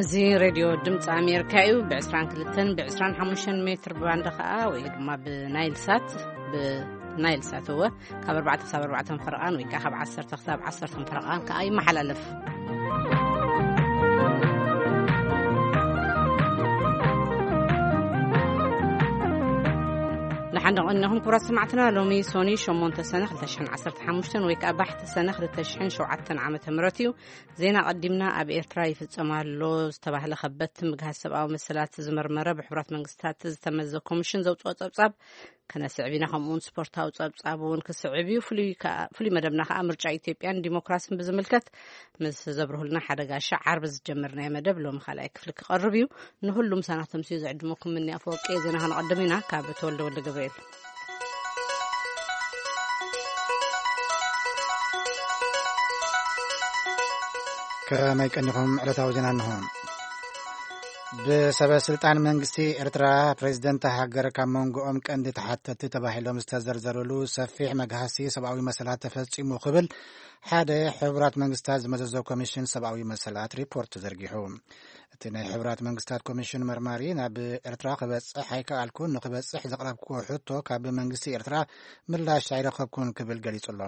እዚ ሬድዮ ድምፂ ኣሜሪካ እዩ። ብ22 ብ25 ሜትር ባንድ ከዓ ወይ ድማ ብናይል ሳት፣ ብናይል ሳት እወ፣ ካብ ኣርባዕተ ክሳብ ኣርባዕተ ፈረቓን ወይ ከዓ ካብ ዓሰርተ ክሳብ ዓሰርተ ፈረቓን ከዓ ይመሓላለፍ። ንሓንደ ቀኒኹም ክቡራት ሰማዕትና፣ ሎሚ ሶኒ ሸሞንተ ሰነ ክልተ ሽሕን ዓሰርተ ሓሙሽተን ወይ ከዓ ባሕቲ ሰነ ክልተ ሽሕን ሸውዓተን ዓመተ ምህረት እዩ። ዜና ቀዲምና። ኣብ ኤርትራ ይፍጸም ኣሎ ዝተባህለ ከበድቲ ምግሃስ ሰብኣዊ መሰላት ዝመርመረ ብሕቡራት መንግስታት ዝተመዘ ኮሚሽን ዘውፅኦ ጸብጻብ ክነስዕብ ኢና። ከምኡውን ስፖርታዊ ጸብጻብ እውን ክስዕብ እዩ። ፍሉይ ከኣ-፣ ፍሉይ መደብና ከኣ ምርጫ ኢትዮጵያን ዲሞክራስን ብዝምልከት ምስ ዘብርሁልና ሓደ ጋሻ ዓርቢ ዝጀመርናዮ መደብ ሎሚ ካልኣይ ክፍሊ ክቐርብ እዩ። ንሁሉም ሳናት ተምስዩ ዝዕድመኩም ምኒ ኣፈወርቂ። ዜና ከነቐድም ኢና። ካብ ተወልደ ወልደ ገብርኤል። ከመይ ቀኒኹም? ዕለታዊ ዜና እንሆ። ብሰበ ስልጣን መንግስቲ ኤርትራ፣ ፕሬዝደንት ሃገር ካብ መንጎኦም ቀንዲ ተሓተቲ ተባሂሎም ዝተዘርዘሩሉ ሰፊሕ መግሃሲ ሰብኣዊ መሰላት ተፈጺሙ ክብል ሓደ ሕቡራት መንግስታት ዝመዘዞ ኮሚሽን ሰብኣዊ መሰላት ሪፖርት ዘርጊሑ። እቲ ናይ ሕቡራት መንግስታት ኮሚሽን መርማሪ ናብ ኤርትራ ክበጽሕ ኣይከኣልኩን፣ ንክበጽሕ ዘቕረብክዎ ሕቶ ካብ መንግስቲ ኤርትራ ምላሽ ኣይረኸብኩን ክብል ገሊጹ ኣሎ።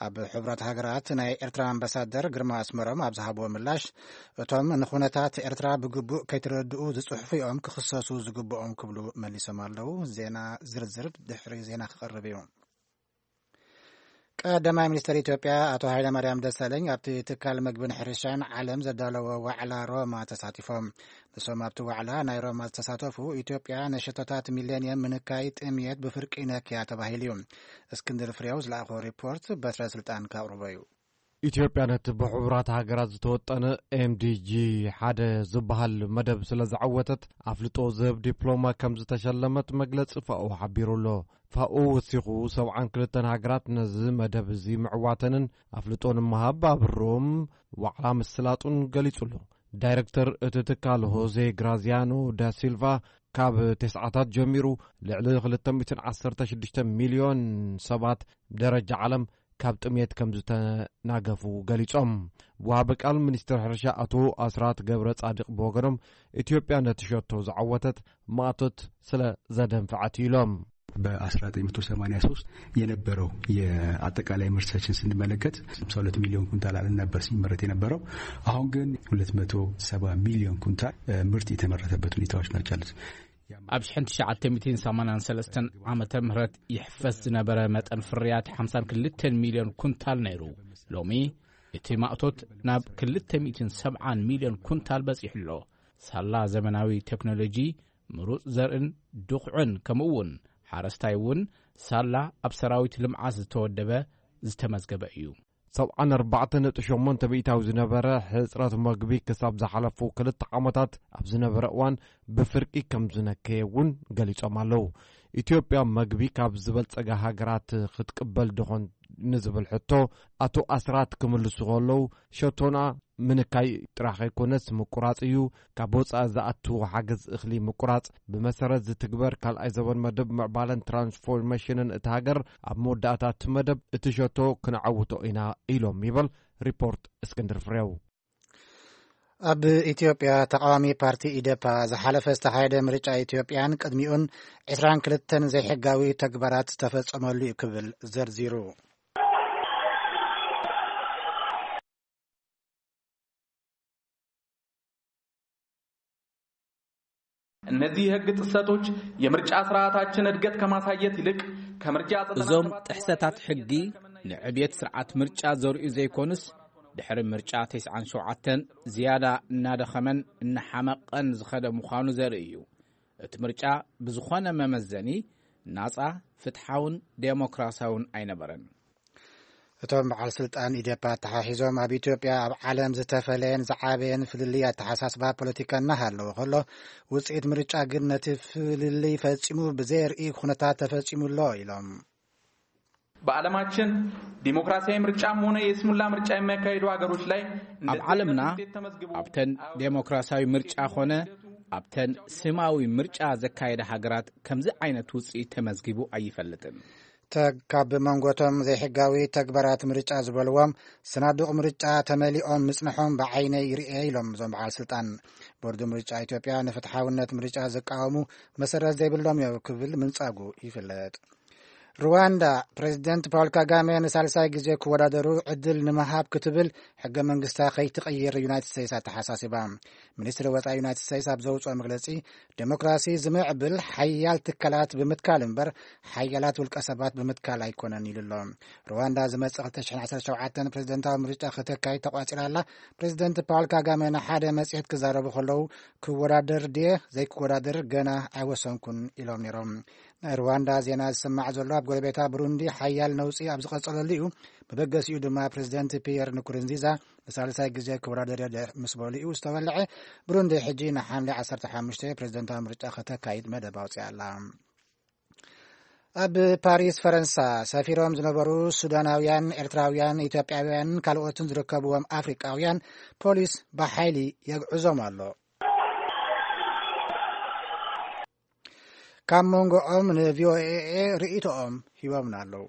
ኣብ ሕቡራት ሃገራት ናይ ኤርትራ ኣምባሳደር ግርማ ኣስመሮም ኣብ ዝሃብዎ ምላሽ፣ እቶም ንኹነታት ኤርትራ ብግቡእ ከይተረድኡ ዝጽሕፉ እዮም ክኽሰሱ ዝግብኦም ክብሉ መሊሶም ኣለዉ። ዜና ዝርዝር ድሕሪ ዜና ክቐርብ እዩ። ቀዳማይ ሚኒስትር ኢትዮጵያ ኣቶ ሃይለማርያም ደሳለኝ ኣብቲ ትካል መግብን ሕርሻን ዓለም ዘዳለዎ ዋዕላ ሮማ ተሳቲፎም። ንሶም ኣብቲ ዋዕላ ናይ ሮማ ዝተሳተፉ፣ ኢትዮጵያ ንሸቶታት ሚሌኒየም ምንካይ ጥምየት ብፍርቂ ነክያ ተባሂሉ እዩ። እስክንድር ፍሬው ዝለኣኾ ሪፖርት በትረ ስልጣን ከቕርቦ እዩ። ኢትዮጵያ ነቲ ብሕቡራት ሃገራት ዝተወጠነ ኤምዲጂ ሓደ ዝበሃል መደብ ስለ ዝዓወተት ኣፍልጦ ዝህብ ዲፕሎማ ከም ዝተሸለመት መግለጺ ፋኦ ሓቢሩ ኣሎ። ፋኦ ወሲኹ ሰብዓን ክልተን ሃገራት ነዚ መደብ እዚ ምዕዋተንን ኣፍልጦ ንምሃብ ኣብሮም ዋዕላ ምስላጡን ገሊጹ ኣሎ። ዳይረክተር እቲ ትካል ሆዜ ግራዚያኖ ዳሲልቫ ካብ ተስዓታት ጀሚሩ ልዕሊ ክልተ ሚእትን ዓሰርተ ሽዱሽተ ሚልዮን ሰባት ደረጃ ዓለም ካብ ጥሜት ከም ዝተናገፉ ገሊጾም። ወሃቢ ቃል ሚኒስትር ሕርሻ ኣቶ ኣስራት ገብረ ጻድቕ ብወገኖም፣ ኢትዮጵያ ነቲ ሸቶ ዝዓወተት ማእቶት ስለ ዘደንፍዐት ኢሎም። በ1983 የነበረው የአጠቃላይ ምርታችን ስንመለከት 52 ሚሊዮን ኩንታል አለን ነበር ሲመረት የነበረው። አሁን ግን 270 ሚሊዮን ኩንታል፣ እ፣ ምርት የተመረተበት ሁኔታዎች ናቸው ያሉት። ኣብ ሽሕን ትሽዓተ ሚእትን ሰማንያን ሰለስተን ዓመተ ምህረት ይሕፈስ ዝነበረ መጠን ፍርያት ሓምሳን ክልተን ሚልዮን ኩንታል ነይሩ። ሎሚ እቲ ማእቶት ናብ ክልተ ሚእትን ሰብዓን ሚልዮን ኩንታል በጺሑ ኣሎ። ሳላ ዘመናዊ ቴክኖሎጂ፣ ምሩጽ ዘርእን ድኹዕን፣ ከምኡ እውን ሓረስታይ እውን ሳላ ኣብ ሰራዊት ልምዓት ዝተወደበ ዝተመዝገበ እዩ። ሰብዓን ኣርባዕተን ነጥቢ ሸሞንተ ሚእታዊ ዝነበረ ሕጽረት መግቢ ክሳብ ዝሓለፉ ክልተ ዓመታት ኣብ ዝነበረ እዋን ብፍርቂ ከም ዝነከየ እውን ገሊጾም ኣለዉ። ኢትዮጵያ መግቢ ካብ ዝበልጸጋ ሃገራት ክትቅበል ድኾን ንዝብል ሕቶ ኣቶ ኣስራት ክምልሱ ከለዉ፣ ሸቶና ምንካይ ጥራሕ ከይኮነስ ምቁራጽ እዩ። ካብ ወጻኢ ዝኣቱ ሓገዝ እኽሊ ምቁራጽ ብመሰረት ዝትግበር ካልኣይ ዘበን መደብ ምዕባለን ትራንስፎርሜሽንን እታ ሃገር፣ ኣብ መወዳእታ እቲ መደብ እቲ ሸቶ ክንዓውቶ ኢና ኢሎም ይበል ሪፖርት እስክንድር ፍሬው። ኣብ ኢትዮጵያ ተቃዋሚ ፓርቲ ኢዴፓ ዝሓለፈ ዝተኻየደ ምርጫ ኢትዮጵያን ቅድሚኡን ዕስራን ክልተን ዘይሕጋዊ ተግባራት ዝተፈጸመሉ እዩ ክብል ዘርዚሩ። እነዚህ የህግ ጥሰቶች የምርጫ ስርዓታችን እድገት ከማሳየት ይልቅ ከምርጫ እዞም ጥሕሰታት ሕጊ ንዕብየት ስርዓት ምርጫ ዘርእዩ ዘይኮኑስ፣ ድሕሪ ምርጫ ተስዓን ሸውዓተን ዝያዳ እናደኸመን እናሓመቐን ዝኸደ ምዃኑ ዘርኢ እዩ። እቲ ምርጫ ብዝኾነ መመዘኒ ናጻ፣ ፍትሓውን ዴሞክራሲያውን ኣይነበረን። እቶም በዓል ስልጣን ኢዴፓ ኣተሓሒዞም፣ ኣብ ኢትዮጵያ ኣብ ዓለም ዝተፈለየን ዝዓበየን ፍልልይ ኣተሓሳስባ ፖለቲካ እናሃለወ ከሎ፣ ውፅኢት ምርጫ ግን ነቲ ፍልልይ ፈጺሙ ብዘየርኢ ኩነታት ተፈጺሙ ኣሎ ኢሎም። በዓለማችን ዲሞክራሲያዊ ምርጫም ሆነ የስሙላ ምርጫ የሚያካሂዱ ሀገሮች ላይ ኣብ ዓለምና፣ ኣብተን ዴሞክራሲያዊ ምርጫ ኾነ ኣብተን ስማዊ ምርጫ ዘካየደ ሃገራት ከምዚ ዓይነት ውፅኢት ተመዝጊቡ ኣይፈልጥን። ተግ ካብ መንጎቶም ዘይሕጋዊ ተግባራት ምርጫ ዝበልዎም ስናዱቕ ምርጫ ተመሊኦም ምጽንሖም ብዓይነይ ይርኤ ኢሎም እዞም በዓል ስልጣን። ቦርድ ምርጫ ኢትዮጵያ ንፍትሓውነት ምርጫ ዝቃወሙ መሰረት ዘይብሎም እዮም ክብል ምንጻጉ ይፍለጥ። ሩዋንዳ ፕሬዚደንት ፓውል ካጋሜ ንሳልሳይ ግዜ ክወዳደሩ ዕድል ንምሃብ ክትብል ሕገ መንግስታ ከይትቕይር ዩናይትድ ስቴትስ ኣተሓሳሲባ። ሚኒስትሪ ወፃኢ ዩናይትድ ስቴትስ ኣብ ዘውፅኦ መግለፂ፣ ዴሞክራሲ ዝምዕብል ሓያል ትካላት ብምትካል እምበር ሓያላት ውልቀ ሰባት ብምትካል ኣይኮነን ኢሉ ኣሎ። ሩዋንዳ ዝመፅእ ክልተ ሽሕን ዓሰርተ ሸውዓተን ፕሬዚደንታዊ ምርጫ ከተካይድ ተቋፂራ ኣላ። ፕሬዚደንት ፓውል ካጋሜ ንሓደ መፅሄት ክዛረቡ ከለዉ፣ ክወዳደር ድየ ዘይክወዳደር ገና ኣይወሰንኩን ኢሎም ነይሮም። ናይ ሩዋንዳ ዜና ዝስማዕ ዘሎ ኣብ ጎረቤታ ብሩንዲ ሓያል ነውጺ ኣብ ዝቐጸለሉ እዩ። መበገሲኡ ድማ ፕሬዚደንት ፒየር ንኩሩንዚዛ ንሳልሳይ ግዜ ክወዳደር እየ ምስ በሉ እዩ ዝተወልዐ። ብሩንዲ ሕጂ ንሓምሌ ዓሰርተ ሓሙሽተ ፕሬዚደንታዊ ምርጫ ከተካይድ መደብ ኣውፅያ ኣላ። ኣብ ፓሪስ ፈረንሳ ሰፊሮም ዝነበሩ ሱዳናውያን፣ ኤርትራውያን፣ ኢትዮጵያውያን ካልኦትን ዝርከብዎም ኣፍሪቃውያን ፖሊስ ብሓይሊ የግዕዞም ኣሎ። ካብ መንጎኦም ንቪኦኤ ርእይቶኦም ሂቦምና ኣለዉ።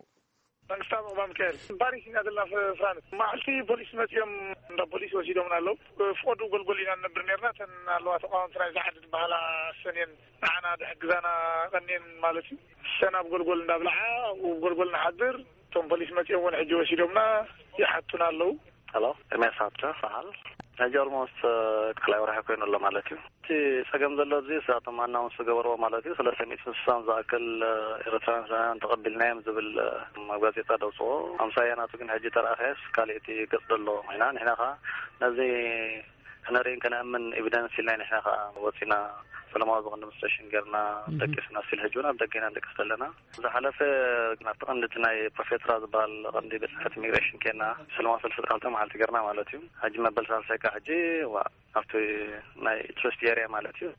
መንግስታዊ ምቕባል ሚካኤል ፓሪስ ኢና ዘለና፣ ፍራንስ። መዓልቲ ፖሊስ መፂኦም እንዳ ፖሊስ ወሲዶምና ኣለዉ። ፍቐዱ ጎልጎል ኢና ንነብር ነርና። እተን ኣለዋ ተቃወምቲ ናይዛ ዓዲ ዝበሃላ ሰኔን ንዓና ድሕግዛና ቀንየን ማለት እዩ። ሰን ኣብ ጎልጎል እንዳብልዓ ኣብኡ ጎልጎል ንሓድር። እቶም ፖሊስ መፂኦም እውን ሕጂ ወሲዶምና ይሓቱና ኣለዉ። ሄሎ፣ ኤርሚያስ ሃብተ በሃል። ሕጂ ኦልሞስት ካልኣይ ወርሒ ኮይኑ ኣሎ ማለት እዩ። እቲ ጸገም ዘሎ ኣብዚ እሳቶም ኣናውንስ ዝገበርዎ ማለት እዩ፣ ሰለስተ ሚእትን ስሳን ዝኣክል ኤርትራውያን ተቐቢልናዮም ዝብል ኣብ ጋዜጣ ደውፅዎ። ኣምሳያ ናቱ ግን ሕጂ ተረኣኸስ ካልእ እቲ ገጽ ዘሎ ኮይና፣ ንሕና ኸዓ ነዚ ክነርእን ከነእምን ኤቪደንስ ኢልና ንሕና ኸዓ ወፂና ሰላማዊ ዝኾነ ዲሞንስትሬሽን ጌርና ደቂስና፣ ስቲል ሕጂ እውን ኣብ ደገ ኢና ንደቅስ ዘለና። ዝሓለፈ ናብቲ ቀንዲ እቲ ናይ ፕሮፌትራ ዝበሃል ቀንዲ ቤት ጽሕፈት ኢሚግሬሽን ኬና ሰላማዊ ሰልፊ ካልተ መዓልቲ ጌርና ማለት እዩ። ሕጂ መበል ሳልሳይ ከዓ ሕጂ ዋ ኣብቲ ናይ ቱሪስት ኤርያ ማለት እዩ።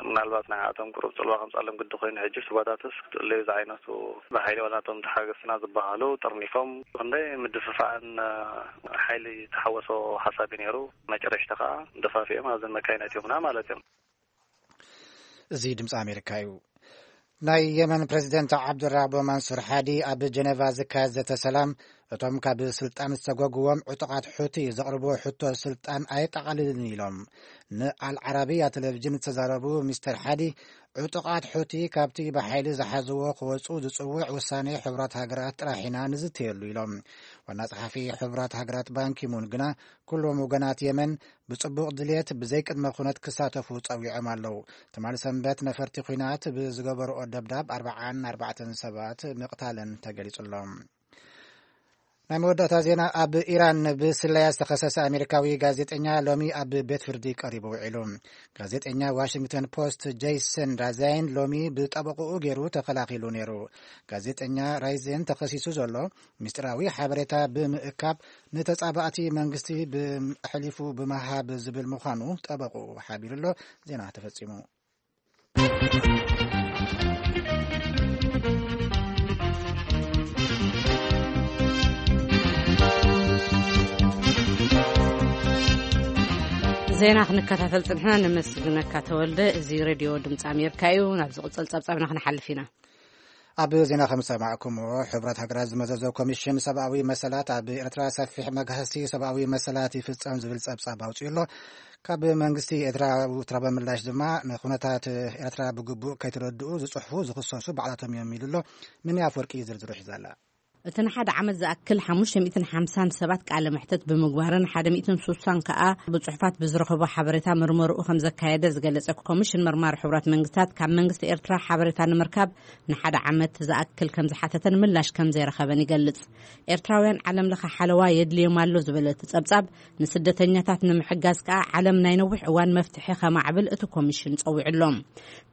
ምናልባት ናይ ኣቶም ቁሩብ ጽልዋ ከምጻሎም ግዲ ኮይኑ ሕጂ ስባታትስ ክትእለዩ ዝዓይነቱ ብሓይሊ ዋላ ናቶም ተሓገዝትና ዝበሃሉ ጠርኒፎም ክንደይ ምድፍፋዕን ሓይሊ ተሓወሶ ሓሳብ እዩ ነይሩ። መጨረሽታ ከዓ ደፋፊኦም ኣብዘን መካይን ኣእትዮምና ማለት እዮም። እዚ ድምፂ ኣሜሪካ እዩ። ናይ የመን ፕሬዚደንት ዓብዱራቦ ማንሱር ሓዲ ኣብ ጀነቫ ዝካየድ ዘተ ሰላም እቶም ካብ ስልጣን ዝተጓጉዎም ዕጡቓት ሑቲ ዘቕርብዎ ሕቶ ስልጣን ኣየጠቓልልን ኢሎም። ንኣልዓረቢያ ቴሌቪዥን ዝተዛረቡ ሚስተር ሓዲ፣ ዕጡቓት ሑቲ ካብቲ ብሓይሊ ዝሓዝዎ ክወፁ ዝፅውዕ ውሳኔ ሕቡራት ሃገራት ጥራሕ ኢና ንዝተየሉ ኢሎም። ዋና ጸሓፊ ሕቡራት ሃገራት ባንኪሙን ግና ኩሎም ወገናት የመን ብጽቡቕ ድልየት ብዘይቅድመ ኩነት ክሳተፉ ጸዊዖም ኣለዉ። ትማሊ ሰንበት ነፈርቲ ኲናት ብዝገበርኦ ደብዳብ ኣርባዓን ኣርባዕተን ሰባት ምቕታለን ተገሊጹ ኣሎ። ናይ መወዳእታ ዜና። ኣብ ኢራን ብስለያ ዝተኸሰሰ ኣሜሪካዊ ጋዜጠኛ ሎሚ ኣብ ቤት ፍርዲ ቀሪቡ ውዒሉ። ጋዜጠኛ ዋሽንግተን ፖስት ጄይሰን ራዛይን ሎሚ ብጠበቕኡ ገይሩ ተኸላኺሉ ነይሩ። ጋዜጠኛ ራይዜን ተኸሲሱ ዘሎ ምስጢራዊ ሓበሬታ ብምእካብ ንተጻባእቲ መንግስቲ ኣሕሊፉ ብምሃብ ዝብል ምዃኑ ጠበቕኡ ሓቢሩ ኣሎ። ዜና ተፈጺሙ። ዜና ክንከታተል ጽንሕና። ነመስግነካ ተወልደ። እዚ ሬድዮ ድምፂ ኣሜሪካ እዩ። ናብ ዝቕጽል ጸብጻብና ክንሓልፍ ኢና። ኣብ ዜና ከም ዝሰማዕኩምዎ፣ ሕብረት ሃገራት ዝመዘዞ ኮሚሽን ሰብኣዊ መሰላት ኣብ ኤርትራ ሰፊሕ መግሃሲ ሰብኣዊ መሰላት ይፍጸም ዝብል ጸብጻብ ኣውጺኡ ኣሎ። ካብ መንግስቲ ኤርትራ ውትራበ ምላሽ ድማ፣ ንኩነታት ኤርትራ ብግቡእ ከይተረድኡ ዝጽሕፉ ዝኽሰሱ ባዕላቶም እዮም ኢሉ ኣሎ። ምንያ ኣፈወርቂ ዝርዝሩ ሒዛ ኣላ። እቲ ንሓደ ዓመት ዝኣክል ሓሙሽተ ሚእትን ሓምሳን ሰባት ቃለ መሕተት ብምግባርን ሓደ ሚእትን ስሳን ከኣ ብጽሑፋት ብዝረኸቦ ሓበሬታ መርመርኡ ከም ዘካየደ ዝገለጸ ኮሚሽን መርማሪ ሕቡራት መንግስታት፣ ካብ መንግስቲ ኤርትራ ሓበሬታ ንምርካብ ንሓደ ዓመት ዝኣክል ከም ዝሓተተን ምላሽ ከም ዘይረኸበን ይገልጽ። ኤርትራውያን ዓለም ለኸ ሓለዋ የድልዮም ኣሎ ዝበለ እቲ ጸብጻብ፣ ንስደተኛታት ንምሕጋዝ ከኣ ዓለም ናይ ነዊሕ እዋን መፍትሒ ከማዕብል እቲ ኮሚሽን ጸዊዑ ኣሎ።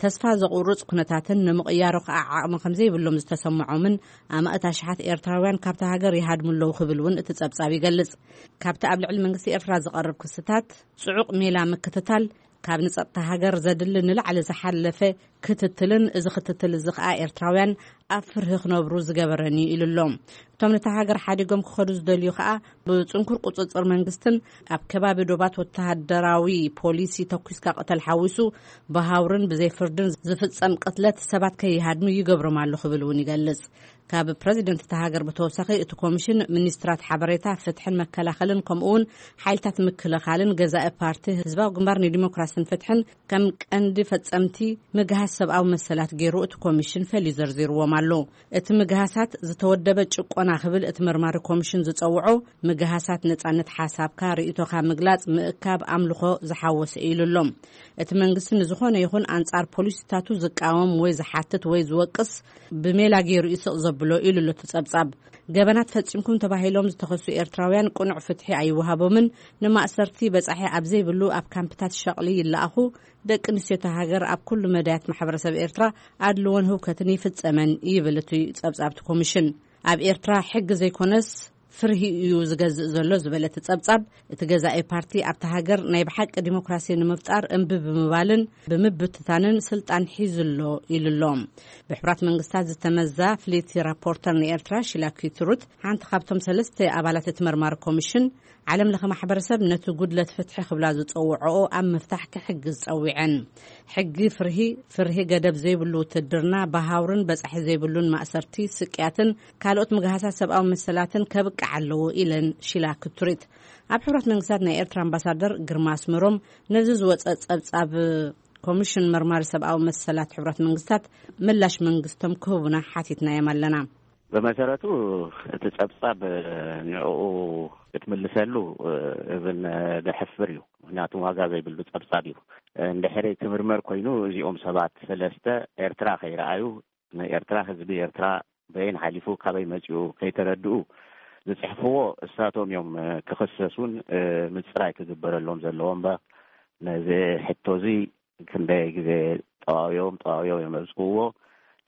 ተስፋ ዘቑርጽ ኩነታትን ንምቕያሩ ከኣ ዓቕሚ ከም ዘይብሎም ዝተሰምዖምን ኣማእት ኣሽሓት ኤርትራውያን ካብታ ሃገር ይሃድሙ ኣለዉ ክብል እውን እቲ ጸብጻብ ይገልጽ። ካብቲ ኣብ ልዕሊ መንግስቲ ኤርትራ ዝቐርብ ክስታት ጽዑቕ ሜላ ምክትታል፣ ካብ ንጸጥታ ሃገር ዘድሊ ንላዕሊ ዝሓለፈ ክትትልን፣ እዚ ክትትል እዚ ከኣ ኤርትራውያን ኣብ ፍርሂ ክነብሩ ዝገበረን እዩ ኢሉ ኣሎ። እቶም ነታ ሃገር ሓዲጎም ክኸዱ ዝደልዩ ከኣ ብጽንኩር ቁጽጽር መንግስትን ኣብ ከባቢ ዶባት ወተሃደራዊ ፖሊሲ ተኩስካ ቅተል ሓዊሱ ብሃውርን ብዘይ ፍርድን ዝፍጸም ቅትለት ሰባት ከይሃድሙ ይገብሮም ኣሎ ክብል እውን ይገልጽ። ካብ ፕረዚደንት እታ ሃገር ብተወሳኺ እቲ ኮሚሽን ሚኒስትራት ሓበሬታ፣ ፍትሕን መከላኸልን ከምኡ እውን ሓይልታት ምክልኻልን ገዛኢ ፓርቲ ህዝባዊ ግንባር ንዲሞክራስን ፍትሕን ከም ቀንዲ ፈጸምቲ ምግሃስ ሰብኣዊ መሰላት ገይሩ እቲ ኮሚሽን ፈልዩ ዘርዚርዎም ኣሎ። እቲ ምግሃሳት ዝተወደበ ጭቆና ክብል እቲ መርማሪ ኮሚሽን ዝጸውዖ ምግሃሳት ነጻነት ሓሳብካ፣ ርእይቶኻ ምግላጽ፣ ምእካብ፣ ኣምልኾ ዝሓወሰ እዩ ኢሉ ኣሎ። እቲ መንግስቲ ንዝኾነ ይኹን ኣንጻር ፖሊሲታቱ ዝቃወም ወይ ዝሓትት ወይ ዝወቅስ ብሜላ ገይሩ ይስቕ ዘብሎ ኢሉ ኣሎ እቲ ጸብጻብ። ገበናት ፈጺምኩም ተባሂሎም ዝተኸሱ ኤርትራውያን ቅኑዕ ፍትሒ ኣይወሃቦምን፣ ንማእሰርቲ በጻሒ ኣብ ዘይብሉ ኣብ ካምፕታት ሸቕሊ ይለኣኹ፣ ደቂ ኣንስትዮ እታ ሃገር ኣብ ኩሉ መዳያት ማሕበረሰብ ኤርትራ ኣድልዎን ህውከትን ይፍጸመን ይብል እቲ ጸብጻብ እቲ ኮሚሽን። ኣብ ኤርትራ ሕጊ ዘይኮነስ ፍርሂ እዩ ዝገዝእ ዘሎ ዝበለ እቲ ጸብጻብ፣ እቲ ገዛኢ ፓርቲ ኣብታ ሃገር ናይ ብሓቂ ዲሞክራሲ ንምፍጣር እምቢ ብምባልን ብምብትታንን ስልጣን ሒዙ ኣሎ ኢሉ ኣሎ። ብሕቡራት መንግስታት ዝተመዛ ፍልይቲ ራፖርተር ንኤርትራ ሺላ ኪትሩት፣ ሓንቲ ካብቶም ሰለስተ ኣባላት እቲ መርማሪ ኮሚሽን፣ ዓለም ለኸ ማሕበረሰብ ነቲ ጉድለት ፍትሒ ክብላ ዝጸውዐኦ ኣብ ምፍታሕ ክሕግዝ ጸዊዐን። ሕጊ ፍርሂ፣ ፍርሂ ገደብ ዘይብሉ ውትድርና፣ ብሃውርን በጻሒ ዘይብሉን ማእሰርቲ፣ ስቅያትን ካልኦት ምግሃሳት ሰብኣዊ መሰላትን ከብቅዕ ኣለዎ ኢለን ሺላ ክትሪት። ኣብ ሕብረት መንግስታት ናይ ኤርትራ ኣምባሳደር ግርማ ኣስመሮም ነዚ ዝወጸ ጸብጻብ ኮሚሽን መርማሪ ሰብኣዊ መሰላት ሕብረት መንግስታት ምላሽ መንግስቶም ክህቡና ሓቲትናዮም ኣለና። ብመሰረቱ እቲ ጸብጻብ ንዕኡ ክትምልሰሉ እብን ዘሕፍር እዩ። ምክንያቱ ዋጋ ዘይብሉ ጸብጻብ እዩ። እንድሕሪ ክምርመር ኮይኑ እዚኦም ሰባት ሰለስተ ኤርትራ ከይረኣዩ፣ ንኤርትራ፣ ህዝቢ ኤርትራ በየን ሓሊፉ ካበይ መጺኡ ከይተረድኡ ዝጽሕፍዎ እሳቶም እዮም ክኽሰሱን ምጽራይ ክግበረሎም ዘለዎ እምበር ነዚ ሕቶ እዚ ክንደይ ግዜ ጠዋውዮም ጠዋውዮም እዮም ዘብጽሕዎ።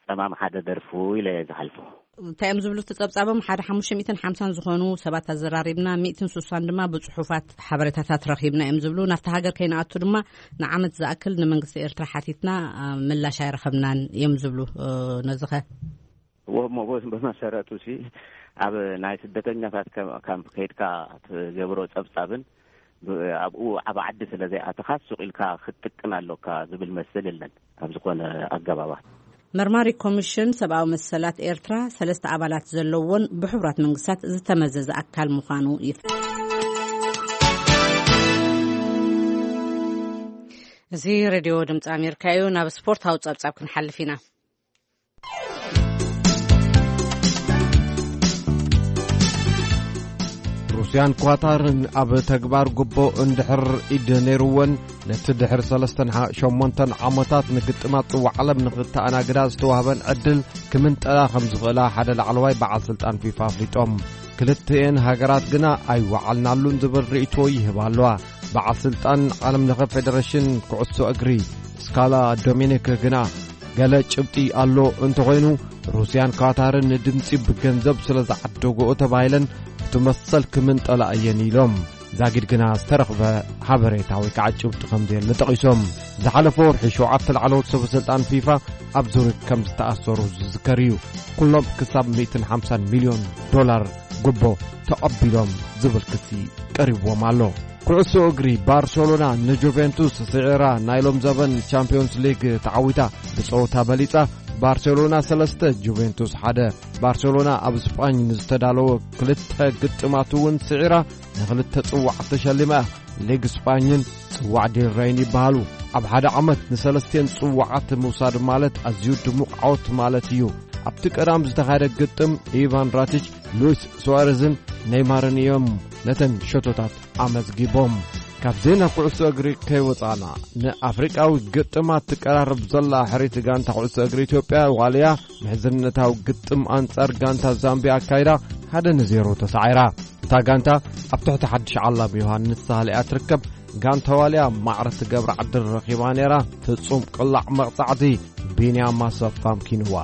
ጸማም ሓደ ደርፉ ኢለ እየ ዝሓልፎ። እንታይ እዮም ዝብሉ እቲ ጸብጻቦም? ሓደ ሓሙሽተ ሚእትን ሓምሳን ዝኾኑ ሰባት ኣዘራሪብና፣ ሚእትን ስሳን ድማ ብጽሑፋት ሓበሬታታት ረኺብና እዮም ዝብሉ። ናብቲ ሃገር ከይንኣቱ ድማ ንዓመት ዝኣክል ንመንግስቲ ኤርትራ ሓቲትና፣ ኣ፣ ምላሽ ኣይረኸብናን እዮም ዝብሉ። እ፣ ነዚ ኸ? እሞ ብ-፣ ብመሰረቱ ሲ ኣብ ናይ ስደተኛታት ከም-፣ ካምፕ ከይድካ ትገብሮ ጸብጻብን ብ-፣ ኣብኡ ዓቢ ዓዲ ስለ ዘይኣተኻ ሱቕ ኢልካ ክትጥቅን ኣሎካ ዝብል መስል የለን ኣብ ዝኾነ ኣገባባት። መርማሪ ኮሚሽን ሰብኣዊ መሰላት ኤርትራ ሰለስተ ኣባላት ዘለዎን ብሕቡራት መንግስታት ዝተመዘዘ ኣካል ምዃኑ ይፍ-፣ እዚ ሬድዮ ድምፂ ኣሜሪካ እዩ። ናብ ስፖርታዊ ጸብጻብ ክንሓልፍ ኢና። ሩስያን ኳታርን ኣብ ተግባር ጉቦ እንድሕር ኢድ ነይርወን፣ ነቲ ድሕሪ ሰለስተን ሸሞንተን ዓመታት ንግጥማት ጽዋዕ ዓለም ንኽተኣናግዳ ዝተዋህበን ዕድል ክምንጠላ ከም ዝኽእላ ሓደ ላዕለዋይ በዓል ስልጣን ፊፋ ኣፍሊጦም። ክልቲኤን ሃገራት ግና ኣይወዓልናሉን ዝብል ርእይቶ ይህባ ኣለዋ። በዓል ስልጣን ዓለም ለኸ ፌደሬሽን ኩዕሶ እግሪ ስካላ ዶሚኒክ ግና፣ ገለ ጭብጢ ኣሎ እንተኾይኑ፣ ሩስያን ኳታርን ንድምፂ ብገንዘብ ስለ ዝዓደግኦ ተባሂለን እቲ መሰል ክምንጠላ እየን ኢሎም። ዛጊድ ግና ዝተረኽበ ሓበሬታ ወይ ከዓ ጭብጢ ከም ዘየለ ጠቒሶም። ዝሓለፈ ወርሒ ሸውዓተ ላዕለዎት ሰበ ስልጣን ፊፋ ኣብ ዙሪክ ከም ዝተኣሰሩ ዝዝከር እዩ። ኩሎም ክሳብ ሚእትን ሓምሳን ሚልዮን ዶላር ጉቦ ተቐቢሎም ዝብል ክሲ ቀሪብዎም ኣሎ። ኩዕሶ እግሪ፣ ባርሰሎና ንጁቬንቱስ ስዒራ ናይ ሎም ዘበን ቻምፒዮንስ ሊግ ተዓዊታ። ብጸወታ በሊጻ፣ ባርሰሎና ሰለስተ ጁቬንቱስ ሓደ። ባርሰሎና ኣብ ስጳኝ ንዝተዳለወ ክልተ ግጥማት እውን ስዒራ ንኽልተ ጽዋዓት ተሸሊማ። ሊግ ስጳኝን ጽዋዕ ዴል ረይን ይበሃሉ። ኣብ ሓደ ዓመት ንሰለስቴን ጽዋዓት ምውሳድ ማለት ኣዝዩ ድሙቕ ዓወት ማለት እዩ። ኣብቲ ቀዳም ዝተኻየደ ግጥም ኢቫን ራቲች፣ ሉዊስ ሱዋሬዝን ኔይማርን እዮም ነተን ሸቶታት ኣመዝጊቦም። ካብ ዜና ኩዕሶ እግሪ ከይወጻና፣ ንኣፍሪቃዊ ግጥማት ትቀራረብ ዘላ ሕሪት ጋንታ ኩዕሶ እግሪ ኢትዮጵያ ዋልያ፣ ምሕዝነታዊ ግጥም ኣንጻር ጋንታ ዛምቢያ ኣካይዳ፣ ሓደ ንዜሮ ተሳዒራ። እታ ጋንታ ኣብ ትሕቲ ሓድሽ ዓላም ዮሃንስ ሳህለ እያ ትርከብ። ጋንታ ዋልያ ማዕረ ትገብራ ዕድል ረኺባ ነይራ። ፍጹም ቅላዕ መቕጻዕቲ ቢንያም ኣሰፋ ኣምኪንዋ።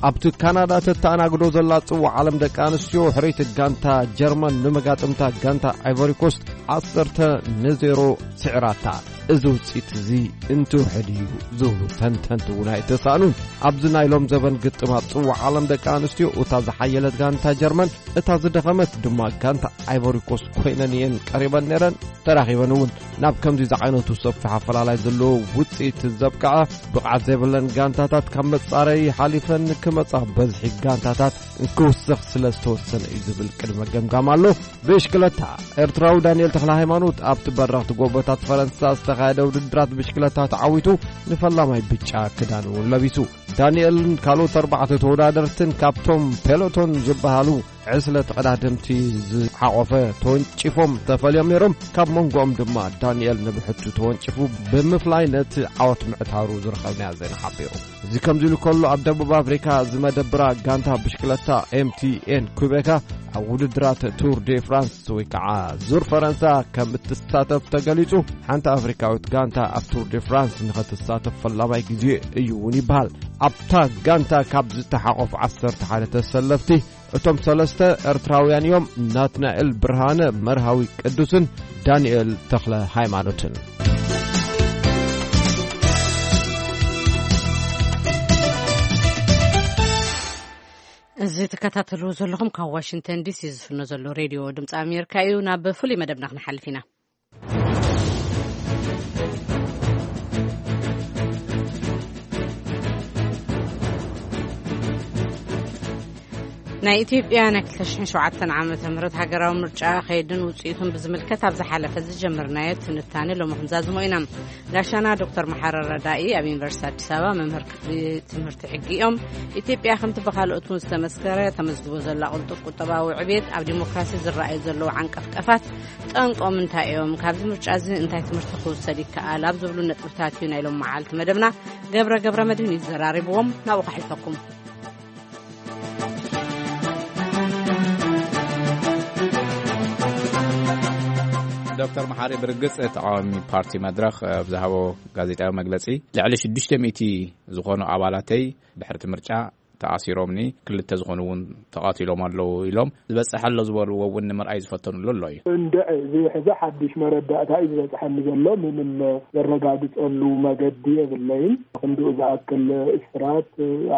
ኣብቲ ካናዳ ተተኣናግዶ ዘላ ጽዋዕ ዓለም ደቂ ኣንስትዮ፣ ሕርይቲ ጋንታ ጀርመን ንመጋጥምታ ጋንታ ኣይቮሪ ኮስት ዓሰርተ ንዜሮ ስዒራታ። እዚ ውፅኢት እዚ እንትውሕድ እዩ ዝብሉ ተንተንቲ እውን ኣይተሳእኑን። ኣብዚ ናይ ሎም ዘበን ግጥማት ጽዋዕ ዓለም ደቂ ኣንስትዮ፣ እታ ዝሓየለት ጋንታ ጀርመን፣ እታ ዝደኸመት ድማ ጋንታ ኣይቮሪኮስ ኮይነን እየን ቀሪበን ነይረን። ተራኺበን እውን ናብ ከምዚ ዝዓይነቱ ሰፊሕ ኣፈላላይ ዘለዎ ውፅኢት ዘብቅዐ ብቕዓት ዘይብለን ጋንታታት ካብ መጻረይ ሓሊፈን ክመጻ በዝሒ ጋንታታት ክውስኽ ስለ ዝተወሰነ እዩ ዝብል ቅድመ ገምጋም ኣሎ። ብሽክለታ፣ ኤርትራዊ ዳንኤል ተኽለ ሃይማኖት ኣብቲ በረኽቲ ጎቦታት ፈረንሳ ዝተኻየደ ውድድራት ብሽክለታ ተዓዊቱ ንፈላማይ ብጫ ክዳን እውን ለቢሱ። ዳንኤልን ካልኦት ኣርባዕተ ተወዳደርትን ካብቶም ፔሎቶን ዝበሃሉ ዕስለ ተቐዳደምቲ ዝሓቖፈ ተወንጪፎም ተፈልዮም ነይሮም። ካብ መንጎኦም ድማ ዳንኤል ንብሕቱ ተወንጪፉ ብምፍላይ ነቲ ዓወት ምዕታሩ ዝረኸብናዮ ዜና ሓቢሩ። እዚ ከምዚ ኢሉ ከሎ፣ ኣብ ደቡብ ኣፍሪካ ዝመደብራ ጋንታ ብሽክለታ ኤምቲኤን ኩቤካ ኣብ ውድድራት ቱር ዴ ፍራንስ ወይ ከዓ ዙር ፈረንሳ ከም እትሳተፍ ተገሊጹ። ሓንቲ ኣፍሪካዊት ጋንታ ኣብ ቱር ዴ ፍራንስ ንኸትሳተፍ ፈላማይ ግዜ እዩ እውን ይበሃል። ኣብታ ጋንታ ካብ ዝተሓቆፉ ዓሰርተ ሓደ ተሰለፍቲ፣ እቶም ሰለስተ ኤርትራውያን እዮም፣ ናትናኤል ብርሃነ፣ መርሃዊ ቅዱስን ዳንኤል ተኽለ ሃይማኖትን። እዚ ትከታተልዎ ዘለኹም ካብ ዋሽንግተን ዲሲ ዝፍኖ ዘሎ ሬድዮ ድምፂ ኣሜሪካ እዩ። ናብ ፍሉይ መደብና ክንሓልፍ ኢና። ናይ ኢትዮጵያ ናይ ክልተ ሽሕን ሸውዓተን ዓመተ ምህረት ሃገራዊ ምርጫ ከይድን ውፅኢቱን ብዝምልከት ኣብ ዝሓለፈ ዝጀመርናዮ ትንታኔ ሎሚ ክንዛዝሞ ኢና። ጋሻና ዶክተር መሓረ ረዳኢ ኣብ ዩኒቨርሲቲ ኣዲስ ኣበባ መምህር ክፍሊ ትምህርቲ ሕጊ እዮም። ኢትዮጵያ ከምቲ ብካልኦት እውን ዝተመስከረ ተመዝግቦ ዘላ ቅልጡፍ ቁጠባዊ ዕብየት ኣብ ዲሞክራሲ ዝረኣዩ ዘለዉ ዓንቀፍቀፋት ጠንቆም እንታይ እዮም? ካብዚ ምርጫ እዚ እንታይ ትምህርቲ ክውሰድ ይከኣል? ኣብ ዝብሉ ነጥብታት እዩ ናይ ሎም መዓልቲ መደብና። ገብረ ገብረ መድህን እዩ ዘራሪብዎም። ናብኡ ከሕልፈኩም። ዶክተር መሓሪ፣ ብርግጽ ተቃዋሚ ፓርቲ መድረኽ ኣብ ዝሃቦ ጋዜጣዊ መግለጺ፣ ልዕሊ ሽዱሽተ ሚእቲ ዝኾኑ ኣባላተይ ድሕርቲ ምርጫ ተኣሲሮምኒ፣ ክልተ ዝኾኑ እውን ተቐቲሎም ኣለዉ ኢሎም። ዝበጽሐ ኣሎ ዝበልዎ እውን ንምርኣይ ዝፈተኑሉ ኣሎ እዩ። እንድዒ፣ እዚ ሕዚ ሓድሽ መረዳእታ እዩ ዝበጽሐኒ ዘሎ። ምንም ዘረጋግጸሉ መገዲ የብለይን። ክንድኡ ዝኣክል እስራት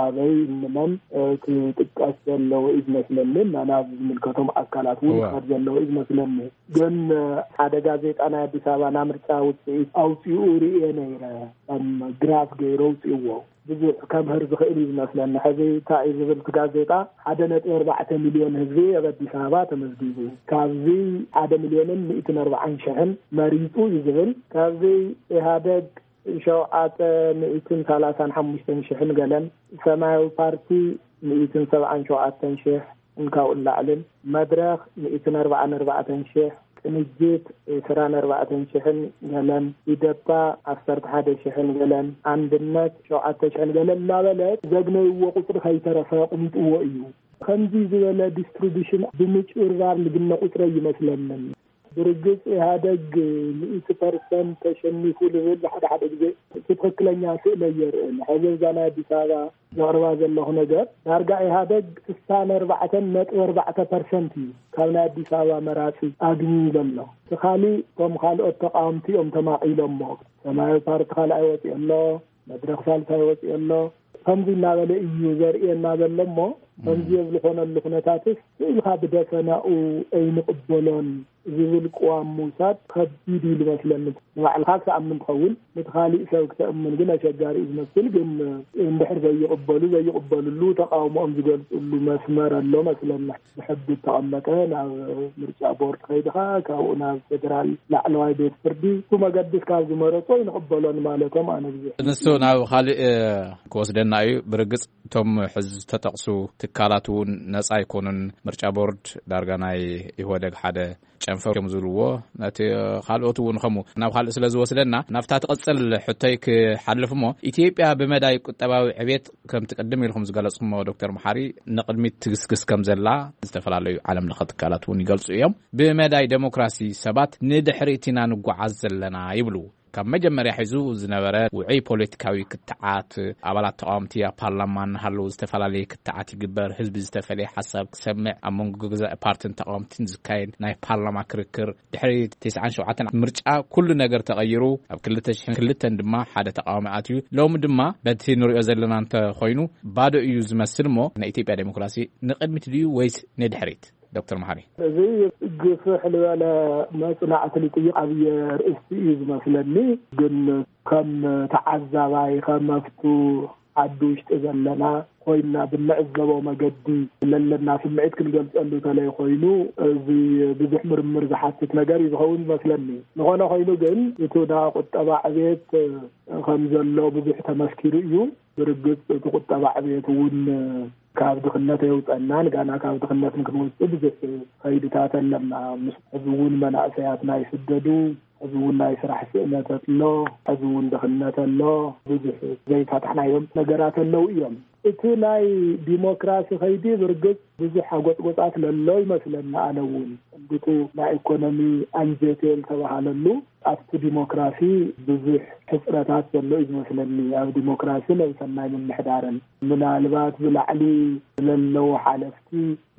ኣበይ፣ እንመን፣ እ፣ ክጥቀስ ዘለዎ እዩ ዝመስለኒ። እና ናብ ዝምልከቶም ኣካላት እውን እወ። ክኸድ ዘለዎ እዩ ዝመስለኒ። ግን፣ እ፣ ሓደ ጋዜጣ ናይ ኣዲስ ኣበባ ናይ ምርጫ ውፅኢት ኣውፂኡ ርእየ ነይረ። ከም ግራፍ ገይሩ ኣውፅእዎ። ብዙሕ ከምህር ዝኽእል እዩ ዝመስለኒ። ሕዚ እንታይ እዩ ዝብል እቲ ጋዜጣ? ሓደ ነጥቢ ኣርባዕተ ሚልዮን ህዝቢ ኣብ ኣዲስ ኣበባ ተመዝጊቡ። ካብዚ ሓደ ሚልዮንን ሚእትን ኣርባዓን ሽሕን መሪጹ እዩ ዝብል። ካብዚ ኢህኣደግ ሸውዓተ ሚእትን ሰላሳን ሓሙሽተን ሽሕን ገለን፣ ሰማያዊ ፓርቲ ሚእትን ሰብዓን ሸውዓተን ሽሕ፣ እንካብኡ ንላዕልን፣ መድረኽ ሚእትን ኣርባዓን ኣርባዕተን ሽሕ፣ ቅንጅት ዕስራን ኣርባዕተን ሽሕን ገለን፣ ኢደፓ ዓሰርተ ሓደ ሽሕን ገለን፣ ኣንድነት ሸውዓተ ሽሕን ገለን እናበለ ዘግነይዎ ቁፅሪ ከይተረፈ ኣቕሚጥዎ እዩ። ከምዚ ዝበለ ዲስትሪቢሽን ብምጭብርባር ልግነ ቁፅሪ ኣይመስለንን። ብርግፅ ኢህኣደግ ሚእቲ ፐርሰንት ተሸኒፉ ልብል ሓደ ሓደ ግዜ እቲ ትኽክለኛ ስእሊ ኣየርእን። ሕዚ እዛ ናይ ኣዲስ ኣበባ ዘቕርባ ዘለኹ ነገር፣ ዳርጋ ኢህኣደግ ስሳን ኣርባዕተን ነጥቢ ኣርባዕተ ፐርሰንት እዩ ካብ ናይ ኣዲስ ኣበባ መራፂ ኣግንዩ ዘሎ። እቲ ካሊእ፣ እቶም ካልኦት ተቃወምቲ እዮም ተማቒሎሞ። ሰማያዊ ፓርቲ ካልኣይ ወፂኡ ኣሎ፣ መድረኽ ሳልሳይ ወፂኡ ኣሎ። ከምዚ እናበለ እዩ ዘርእየና ዘሎ እሞ፣ ከምዚ ኣብ ዝኾነሉ ኩነታትስ ስእልካ ብደፈናኡ ኣይንቕበሎን ዝብል ቅዋም ምውሳድ ከቢድ እዩ ዝመስለኒ። ንባዕልኻ ክትኣምን ትኸውን፣ ነቲ ካሊእ ሰብ ክተእምን ግን ኣሸጋሪ እዩ ዝመስል። ግን እንድሕር ዘይቕበሉ፣ ዘይቕበልሉ፣ ተቃውሞኦም ዝገልፅሉ መስመር ኣሎ መስለና። ብሕጊ እተቐመጠ ናብ ምርጫ ቦርድ ከይድኻ፣ ካብኡ ናብ ፌደራል ላዕለዋይ ቤት ፍርዲ፣ እቲ መገዲ እስካብ ዝመረጾ ይንቕበሎን ማለቶም ኣነ ብዙሕ። ንሱ ናብ ካልእ ክወስደና እዩ። ብርግጽ እቶም ሕዚ ዝተጠቕሱ ትካላት እውን ነጻ ኣይኮኑን። ምርጫ ቦርድ ዳርጋ ናይ ኢህወደግ ሓደ ጨንፈር እዮም ዝብልዎ። ነቲ ካልኦት እውን ከምኡ ናብ ካልእ ስለ ዝወስደና፣ ናብታ ትቕጽል ሕቶይ ክሓልፍ እሞ፣ ኢትዮጵያ ብመዳይ ቁጠባዊ ዕቤት ከምቲ ቅድም ኢልኩም ዝገለጽኩሞ ዶክተር መሓሪ ንቕድሚት ትግስግስ ከም ዘላ ዝተፈላለዩ ዓለም ለኸ ትካላት እውን ይገልጹ እዮም። ብመዳይ ዴሞክራሲ ሰባት ንድሕሪት ኢና ንጓዓዝ ዘለና ይብሉ። ካብ መጀመርያ ሒዙ ዝነበረ ውዑይ ፖለቲካዊ ክትዓት፣ ኣባላት ተቃወምቲ ኣብ ፓርላማ እናሃለዉ ዝተፈላለየ ክትዓት ይግበር፣ ህዝቢ ዝተፈላለየ ሓሳብ ክሰምዕ፣ ኣብ መንጎ ገዛኢ ፓርትን ተቃወምትን ዝካየድ ናይ ፓርላማ ክርክር፣ ድሕሪ ተስዓን ሸውዓተን ምርጫ ኩሉ ነገር ተቐይሩ፣ ኣብ ክልተ ሽሕን ክልተን ድማ ሓደ ተቃዋሚ ኣትዩ። ሎሚ ድማ በቲ ንሪኦ ዘለና እንተኾይኑ ባዶ እዩ ዝመስል። እሞ ናይ ኢትዮጵያ ዴሞክራሲ ንቕድሚት ድዩ ወይስ ንድሕሪት? ዶክተር መሓሪ። እዚ ግፍሕ ዝበለ መጽናዕቲ ልጥይቕ ኣብየ ርእስቲ እዩ ዝመስለኒ። ግን ከም ተዓዛባይ፣ ከም ኣብቱ ዓዲ ውሽጢ ዘለና ኮይንና ብንዕዘቦ መገዲ ለለና ስምዒት ክንገልጸሉ ተለይ ኮይኑ፣ እዚ ብዙሕ ምርምር ዝሓትት ነገር እዩ ዝኸውን ዝመስለኒ። ዝኾነ ኮይኑ ግን፣ እቲ ናይ ቁጠባ ዕቤት ከም ዘሎ ብዙሕ ተመስኪሩ እዩ። ብርግጽ እቲ ቁጠባ ዕቤት እውን ካብ ድኽነት ኣየውጸናን፣ ጋና ካብ ድኽነት ንክንወጽእ ብዙሕ ከይድታት ኣለና። ምስ ሕዚ እውን መናእሰያት ናይ ስደዱ፣ ሕዚ እውን ናይ ስራሕ ስእነት ኣሎ፣ ሕዚ እውን ድኽነት ኣሎ፣ ብዙሕ ዘይፈታሕናዮም ነገራት ኣለዉ እዮም። እቲ ናይ ዲሞክራሲ ከይዲ ብርግጽ ብዙሕ ኣጎጽጎጻት ለሎ ይመስለኒ። ኣነ እውን እንግቱ ናይ ኢኮኖሚ ኣንጀቴ ዝተባሃለሉ ኣብቲ ዲሞክራሲ ብዙሕ ሕጽረታት ዘሎ እዩ ዝመስለኒ። ኣብ ዲሞክራሲ ነብሰናይ ምምሕዳርን ምናልባት ብላዕሊ ለለዉ ሓለፍቲ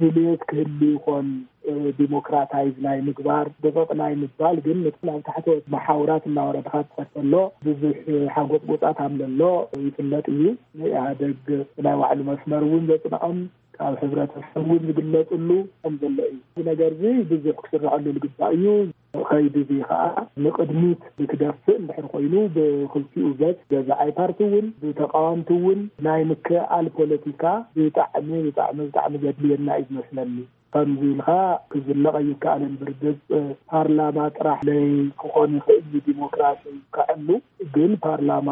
ድልየት ክህሉ ይኾን፣ እ፣ ዲሞክራታይዝ ናይ ምግባር ደቀቕ ናይ ምባል፣ ግን ነቲ ናብ ታሕተዎት መሓውራት እናወረድካ ትኸድ ከሎ ብዙሕ ሓጎጽጎጻት ኣምለሎ ይፍለጥ እዩ። ንኢህኣደግ ናይ ባዕሉ መስመር እውን ዘጽንዖም ካብ ሕብረተሰብ እውን ዝግለጽሉ ከም ዘሎ እዩ። እዚ ነገር እዚ ብዙሕ ክስርሐሉ ዝግባእ እዩ። ከይዲ እዚ ከዓ ንቕድሚት ብክደፍእ እንድሕር ኮይኑ ብክልቲኡ ገጽ ገዛኣይ ፓርቲ እውን ብተቃወምቲ እውን ናይ ምክእኣል ፖለቲካ ብጣዕሚ ብጣዕሚ ብጣዕሚ ዘድልየና እዩ ዝመስለኒ። ከምዚ ኢልካ ክዝለቕ ኣይከኣልን። ብርግጽ ፓርላማ ጥራሕ ለይ ክኾን ይኽእል እዩ ዲሞክራሲ ከዕሉ፣ ግን ፓርላማ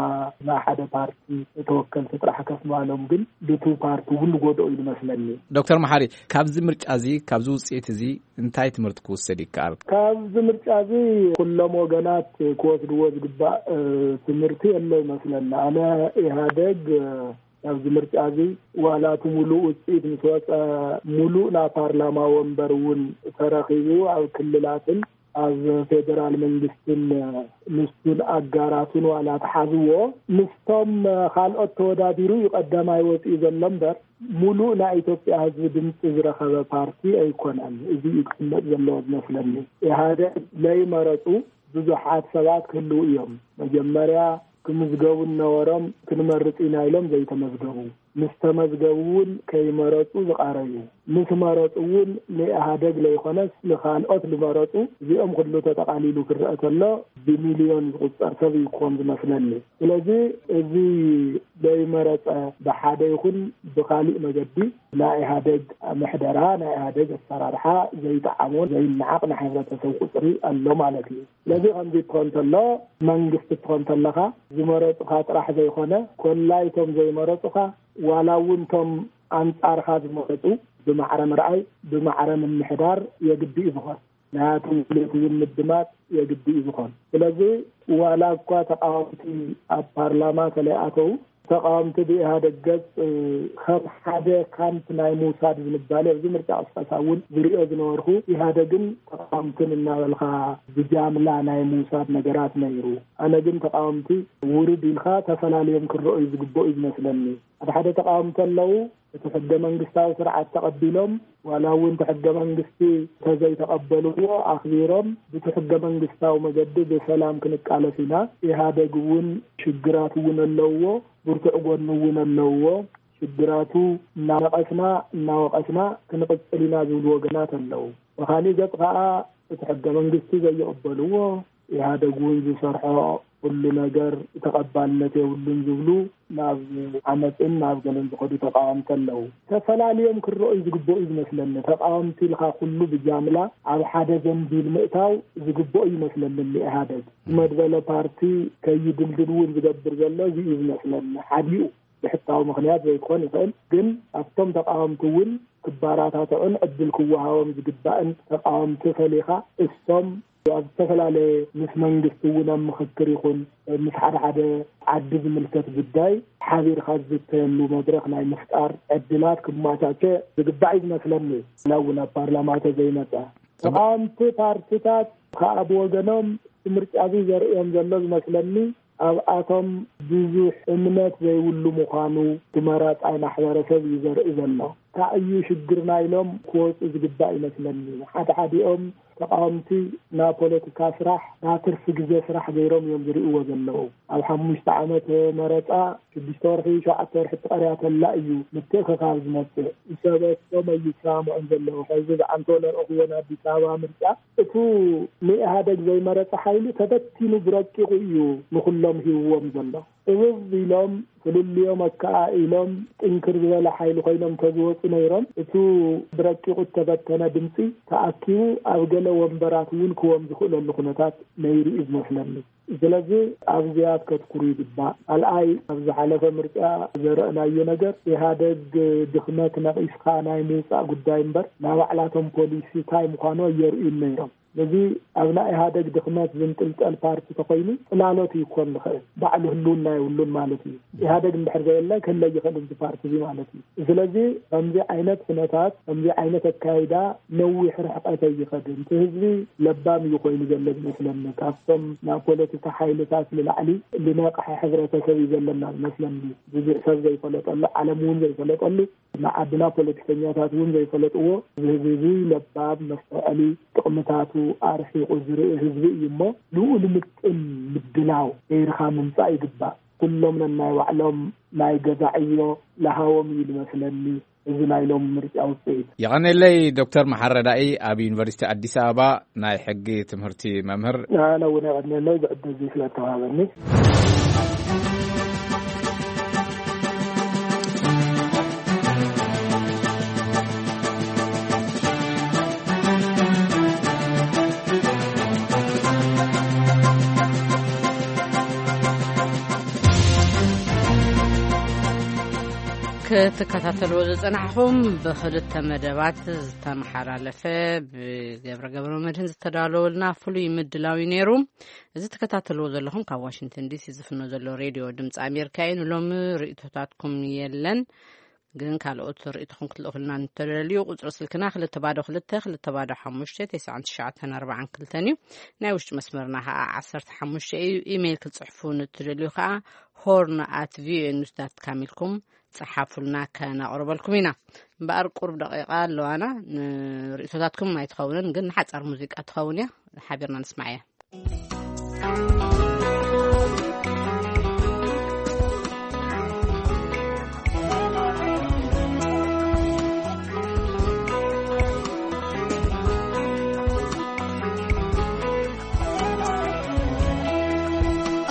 ናይ ሓደ ፓርቲ ተወከልቲ ጥራሕ ከፍ ምባሎም ግን ድቱ ፓርቲ እውን ዝጎድኦ እዩ ዝመስለኒ። ዶክተር መሓሪ፣ ካብዚ ምርጫ እዚ፣ ካብዚ ውፅኢት እዚ እንታይ ትምህርቲ ክውሰድ ይከኣል? ካብዚ ምርጫ እዚ ኩሎም ወገናት ክወስድዎ ዝግባእ፣ እ፣ ትምህርቲ የሎ ይመስለኒ። ኣነ ኢህኣደግ፣ እ፣ ኣብዚ ምርጫ እዚ ዋላ እቲ ሙሉእ ውፅኢት ምስ ወፀ፣ ሙሉእ ናይ ፓርላማ ወንበር እውን ተረኺቡ ኣብ ክልላትን ኣብ ፌደራል መንግስትን ምስቱን ኣጋራቱን ዋላ ተሓዝዎ ምስቶም ካልኦት ተወዳዲሩ እዩ ቀዳማይ ወፂኡ ዘሎ እምበር፣ ሙሉእ ናይ ኢትዮጵያ ህዝቢ ድምፂ ዝረኸበ ፓርቲ ኣይኮነን። እዚ እዩ ክፍለጥ ዘለዎ ዝመስለኒ። ኢህኣደግ ለይመረፁ ብዙሓት ሰባት ክህልዉ እዮም። መጀመርያ ክምዝገቡ ነበሮም፣ ክንመርፅ ኢና ኢሎም ዘይተመዝገቡ፣ ምስ ተመዝገቡ እውን ከይመረፁ ዝቓረዩ፣ ምስ መረፁ እውን ንኢህኣደግ ለይኮነስ ንኻልኦት ዝመረፁ፣ እዚኦም ኩሉ ተጠቓሊሉ ክረአ ተሎ ብሚልዮን ዝቑፀር ሰብ እዩ ክኾን ዝመስለኒ። ስለዚ እዚ ዘይመረፀ ብሓደ ይኹን ብኻሊእ መገዲ ናይ ኢህኣደግ ምሕደራ፣ ናይ ኢህኣደግ ኣሰራርሓ ዘይጠዓሞ፣ ዘይነዓቕ ናይ ሕብረተሰብ ቁፅሪ ኣሎ ማለት እዩ። ስለዚ ከምዚ እትኾን ተሎ፣ መንግስቲ እትኾን ተለኻ፣ ዝመረፁኻ ጥራሕ ዘይኮነ፣ ኮላይቶም ዘይመረፁኻ፣ ዋላ እውን እቶም ኣንጻርኻ ዝመረፁ ብማዕረ ምርኣይ፣ ብማዕረ ምምሕዳር የግዲ እዩ ዝኾን። ናያቶም ድሌት እውን ምድማፅ የግዲ እዩ ዝኾን። ስለዚ ዋላ እኳ ተቃወምቲ ኣብ ፓርላማ ተለይኣተው፣ ተቃወምቲ ብኢህኣደግ ገፅ፣ እ፣ ከም ሓደ ካምፕ ናይ ምውሳድ ዝንባሌ ኣብዚ ምርጫ ቅስቀሳ እውን ዝሪኦ ዝነበርኩ፣ ኢህኣደግን ተቃወምትን እናበልካ ብጃምላ ናይ ምውሳድ ነገራት ነይሩ። ኣነ ግን ተቃወምቲ ውርድ ኢልካ ተፈላልዮም ክረኦዩ ዝግበኡ እዩ ዝመስለኒ። ሓደ ሓደ ተቃወምቲ ኣለዉ፣ እቲ ሕገ መንግስታዊ ስርዓት ተቐቢሎም፣ ዋላ እውን እቲ ሕገ መንግስቲ እንተዘይተቐበልዎ ኣኽቢሮም፣ ብቲ ሕገ መንግስታዊ መገዲ ብሰላም ክንቃለስ ኢና። ኢህኣደግ እውን ሽግራት እውን ኣለውዎ፣ ብርቱዕ ጎኒ እውን ኣለውዎ። ሽግራቱ እናነቐስና፣ እናወቐስና ክንቕጽል ኢና ዝብሉ ወገናት ኣለዉ። ብኻሊእ ገጽ ከኣ እቲ ሕገ መንግስቲ ዘይቕበልዎ፣ ኢህኣደግ እውን ዝሰርሖ ኩሉ ነገር ተቐባልነት የብሉን ዝብሉ ናብ ዓመፅን ናብ ገለን ዝኸዱ ተቃወምቲ ኣለዉ። ተፈላልዮም ክረኦዩ ዝግበኡ እዩ ዝመስለኒ። ተቃወምቲ ኢልካ ኩሉ ብጃምላ ኣብ ሓደ ዘንቢል ምእታው ዝግበኦ ይመስለኒ። ኢህኣደግ መድበለ ፓርቲ ከይድልድል እውን ዝገብር ዘሎ እዚ እዩ ዝመስለኒ። ሓዲኡ ብሕታዊ ምኽንያት ዘይክኾን ይኽእል፣ ግን ኣብቶም ተቃወምቲ እውን ክባራታትዑን ዕድል ክወሃቦም ዝግባእን ተቃወምቲ ፈሊኻ፣ እሶም ኣብ ዝተፈላለየ ምስ መንግስቲ እውን ኣብ ምኽክር ይኹን ምስ ሓደ ሓደ ዓዲ ዝምልከት ጉዳይ ሓቢርካ ዝዝተየሉ መድረኽ ናይ ምፍጣር ዕድላት ክመቻቸ ዝግባእ እዩ ዝመስለኒ። ዋላ እውን ኣብ ፓርላማ ተዘይመጸ፣ ተቃወምቲ ፓርቲታት ከኣ ብወገኖም እቲ ምርጫ እዚ ዘርእዮም ዘሎ ዝመስለኒ ኣብኣቶም ብዙሕ እምነት ዘይብሉ ምዃኑ እቲ መራጻይ ማሕበረሰብ እዩ ዘርኢ ዘሎ። እንታይ እዩ ሽግርና ኢሎም ክወፁ ዝግባእ ይመስለኒ። ሓደ ሓዲኦም ተቃወምቲ ናብ ፖለቲካ ስራሕ ናብ ትርፊ ግዜ ስራሕ ገይሮም እዮም ዝርእይዎ ዘለዉ። ኣብ ሓሙሽተ ዓመት መረፃ ሽዱሽተ ወርሒ ሸውዓተ ወርሒ ትቐርያ ተላ እዩ ምትእኽኻብ ዝመፅእ። ሰበቶም ኣይሰማምዑን ዘለዉ። ሕዚ ብዓንቶ ለረእኽዎ ናይ ኣዲስ ኣበባ ምርጫ እቱ ንኢህኣደግ ዘይመረፀ ሓይሊ ተበቲኑ ብረቂቑ እዩ ንኹሎም ሂብዎም ዘሎ። እብብ ኢሎም ፍልልዮም ኣከኣኢሎም ጥንክር ዝበለ ሓይሊ ኮይኖም ተዝወፁ ነይሮም እቱ ብረቂቑ እተበተነ ድምፂ ተኣኪቡ ኣብ ገለ ወንበራት እውን ክዎም ዝኽእለሉ ኩነታት ነይሩ እዩ ዝመስለኒ። ስለዚ ኣብዚኣ ከተትኩሩ ይግባእ። ካልኣይ ኣብ ዝሓለፈ ምርጫ ዘረእናዮ ነገር ኢህኣደግ ድኽመት ነቒስካ ናይ ምውፃእ ጉዳይ እምበር ናይ ባዕላቶም ፖሊሲ እንታይ ምዃኑ ኣየርእዩን ነይሮም። ነዚ ኣብ ናይ ኢህኣደግ ድኽመት ዝንጥልጠል ፓርቲ ተኾይኑ ጽላሎት እዩ ክኾን ዝኽእል። ባዕሉ ህልውና የብሉን ማለት እዩ። ኢህኣደግ እንድሕር ዘየለ ክህለ ይኽእል እዚ ፓርቲ እዚ ማለት እዩ። ስለዚ ከምዚ ዓይነት ኩነታት ከምዚ ዓይነት ኣካይዳ ነዊሕ ርሕቀት ኣይኸድን። እቲ ህዝቢ ለባም እዩ ኮይኑ ዘሎ ዝመስለኒ። ካብቶም ናይ ፖለቲካ ሓይልታት ንላዕሊ ዝነቕሐ ሕብረተሰብ እዩ ዘለና ዝመስለኒ። ብዙሕ ሰብ ዘይፈለጠሉ፣ ዓለም እውን ዘይፈለጠሉ፣ ንዓድና ፖለቲከኛታት እውን ዘይፈለጥዎ፣ እዚ ህዝቢ እዚ ለባም መስተውዐሊ ጥቕምታቱ ኣርሒቑ ዝርኢ ህዝቢ እዩ እሞ ልኡል ምጥን ምድላው ገይርካ ምምፃእ ይግባእ። ኩሎም ነናይ ባዕሎም ናይ ገዛ ዕዮ ለሃዎም እዩ ዝመስለኒ እዚ ናይ ሎም ምርጫ ውፅኢት። የቐኔለይ ዶክተር መሓረዳኢ ኣብ ዩኒቨርሲቲ ኣዲስ ኣበባ ናይ ሕጊ ትምህርቲ መምህር። ኣነ እውን የቐኔለይ ብዕድል እዚ ስለተዋሃበኒ። ክትከታተልዎ ዝጸናሕኹም ብኽልተ መደባት ዝተመሓላለፈ ብገብረ ገብረ መድህን ዝተዳለወልና ፍሉይ ምድላው እዩ ነይሩ። እዚ ትከታተልዎ ዘለኹም ካብ ዋሽንግተን ዲሲ ዝፍኖ ዘሎ ሬድዮ ድምፂ ኣሜሪካ እዩ። ንሎሚ ርእይቶታትኩም የለን፣ ግን ካልኦት ርእይቶኹም ክትልእኹልና እንተደልዩ ቁፅሪ ስልክና ክልተ ባዶ ክልተ ክልተ ባዶ ሓሙሽተ ተስዓን ትሽዓተን ኣርባዓን ክልተን እዩ። ናይ ውሽጢ መስመርና ከዓ ዓሰርተ ሓሙሽተ እዩ። ኢሜይል ክትፅሕፉ ንትደልዩ ከዓ ሆርን ኣት ቪኦኤ ኒውስ ዳት ካም ኢልኩም ፀሓፉልና፣ ከነቕርበልኩም ኢና። እምበኣር ቁሩብ ደቂቃ ኣለዋና፣ ንርእይቶታትኩም ኣይትኸውንን፣ ግን ንሓጻር ሙዚቃ ትኸውን እያ። ሓቢርና ንስማዕ እያ።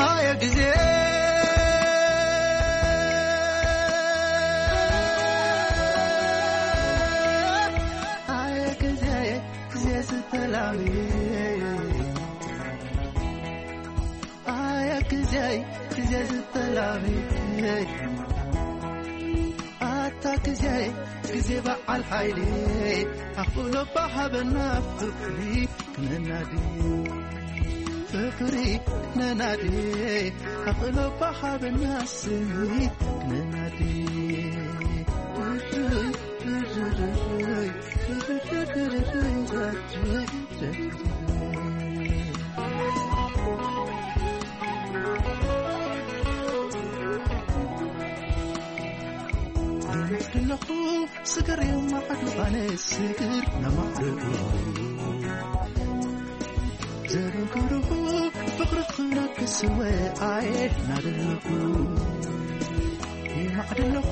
ኣየ ግዜ፣ ኣየ ግዜ፣ ግዜ ዝተላሚ። ኣየ ግዜ፣ ግዜ ዝተላሚ። ኣታ ግዜ፣ ግዜ በዓል ሓይሊ፣ ኣኽእሎ ባሃበና ፍቕሪ ክነናዲ። ፍቕሪ ክነናዲ፣ ኣኽእሎ ባሃበና ስምዒት ክነናዲ። ኣለኹ ስግር የማዕዱ ኣነ ስግር ነማዕዱ። ዘበንክርኹ ፍቕሪ ክነግስ ወኣየ ናደለኹ። ይማዕድ ኣለኹ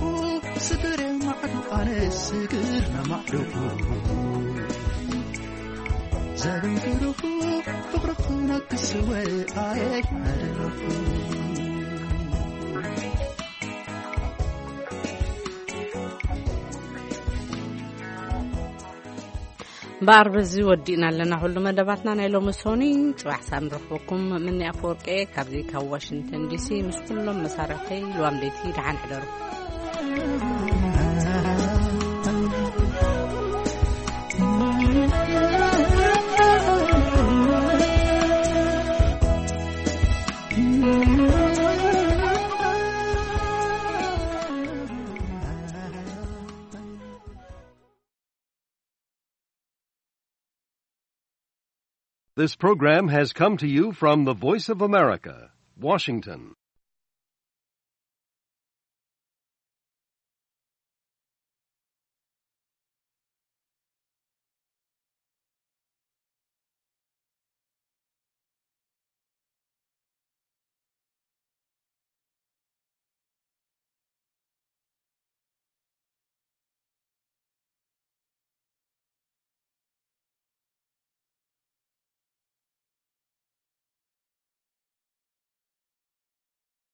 ስግር የማዕዱ ኣነ ስግር ነማዕዱ። ዘበንክርኹ ፍቕሪ ክነግስ ወኣየ ናደለኹ። እምበኣር በዚ ወዲእና ኣለና ኩሉ መደባትና ናይ ሎሚ ሶኒ። ጽባሕ ሳብ ንረኽበኩም። ምኒ ኣፈወርቂ ካብዚ ካብ ዋሽንግተን ዲሲ ምስ ኩሎም መሳርሕተይ ልዋም ለይቲ ደሓን ሕደሩ። This program has come to you from the Voice of America, Washington.